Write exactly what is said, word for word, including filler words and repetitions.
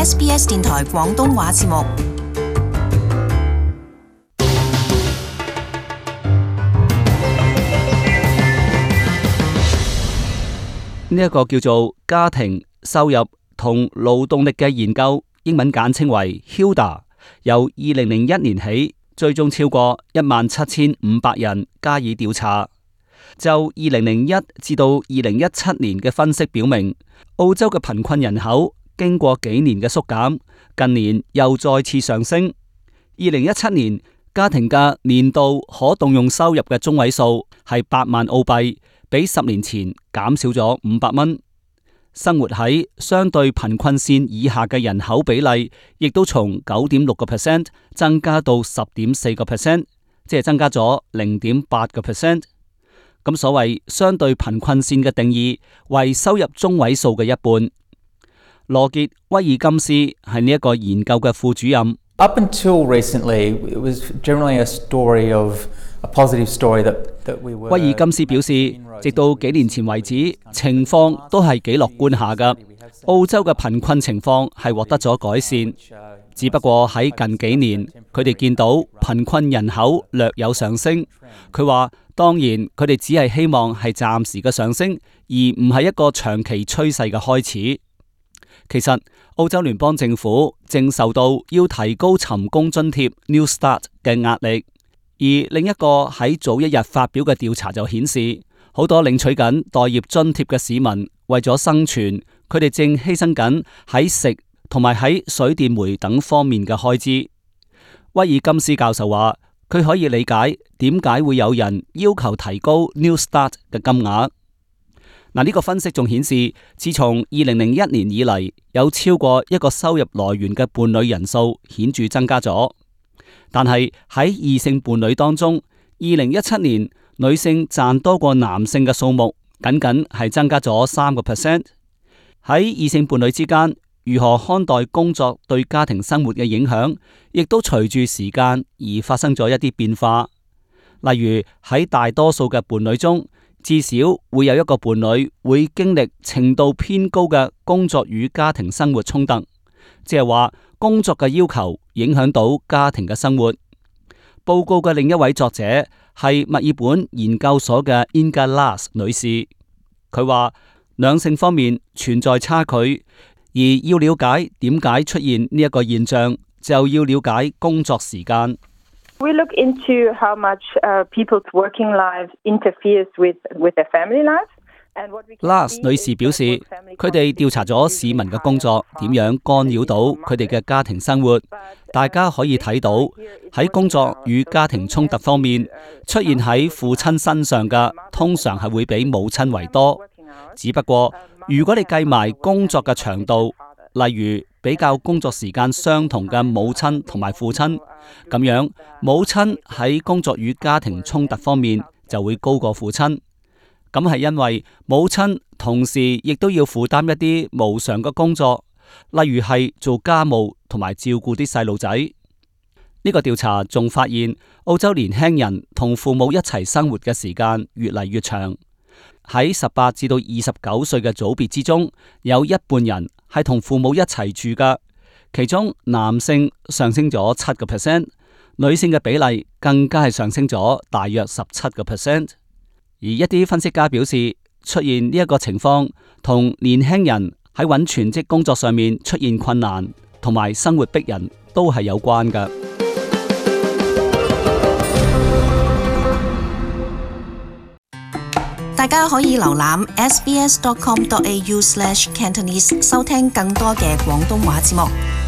S B S 電台廣東話節目。呢一個叫做家庭收入同勞動力嘅研究，英文簡稱為 H I L D A， 由二零零一年起追蹤超過一萬七千五百人加以調查。就二零零一至到二零一七年嘅分析表明，澳洲嘅貧困人口經過幾年嘅縮減，近年又再次上升。二零一七年家庭嘅年度可動用收入嘅中位數係八萬澳幣，比十年前減少咗五百蚊。生活喺相對貧困線以下嘅人口比例，亦都從九點六個 percent 增加到十點四個 percent， 即係增加咗零點八個 percent。咁所謂相對貧困線嘅定義為收入中位數嘅一半。羅傑威爾金斯係呢一個研究嘅副主任。Up until recently, it was generally a story of a positive story that that we were. 威爾金斯表示，直到幾年前為止，情況都係幾樂觀下㗎。澳洲嘅貧困情況係獲得咗改善，只不過喺近幾年，佢哋見到貧困人口略有上升。佢話，當然佢哋只係希望係暫時嘅上升，而唔係一個長期趨勢嘅開始。其實澳洲聯邦政府正受到要提高尋工津貼 New Start 嘅壓力，而另一個喺早一日發表嘅調查就顯示，好多領取緊待業津貼嘅市民為咗生存，佢哋正犧牲緊喺食同埋喺水電煤等方面嘅開支。威爾金斯教授話，佢可以理解點解會有人要求提高 New Start 嘅金額。嗱，呢個分析仲顯示，自從二零零一年以嚟，有超過一個收入來源嘅伴侶人數顯著增加咗。但係喺異性伴侶當中，二零一七年女性賺多過男性嘅數目，僅僅係增加咗三個 percent。喺異性伴侶之間，如何看待工作對家庭生活嘅影響，亦都隨住時間而發生咗一啲變化。例如喺大多數嘅伴侶中，至少會有一個伴侶會經歷程度偏高嘅工作與家庭生活衝突，即係話工作嘅要求影響到家庭嘅生活。報告嘅另一位作者係墨爾本研究所嘅 Inga Lass 女士，佢話兩性方面存在差距，而要了解點解出現呢一個現象，就要了解工作時間。We look into how much uh, people's working lives interferes with with their family life. Lass 女士表示，佢哋調查咗市民嘅工作點樣干擾到佢哋嘅家庭生活。大家可以睇到喺工作與家庭衝突方面，出現喺父親身上嘅通常係會比母親為多。只不過如果你計埋工作嘅長度，例如比較工作時間相同嘅母親同埋父親，咁樣母親喺工作與家庭衝突方面就會高過父親。咁係因為母親同時亦都要負擔一啲無償嘅工作，例如係做家務同埋照顧啲細路仔。呢個調查仲發現，澳洲年輕人同父母一齊生活嘅時間越嚟越長。喺十八至到二十九歲嘅組別之中，有一半人係同父母一齊住噶，其中男性上升咗七個 percent， 女性嘅比例更加係上升咗大約十七個 percent。而一啲分析家表示，出現呢一個情況同年輕人喺揾全職工作上面出現困難，同埋生活逼人都係有關噶。大家可以瀏覽 s b s dot com dot a u slash cantonese 收聽更多嘅廣東話節目。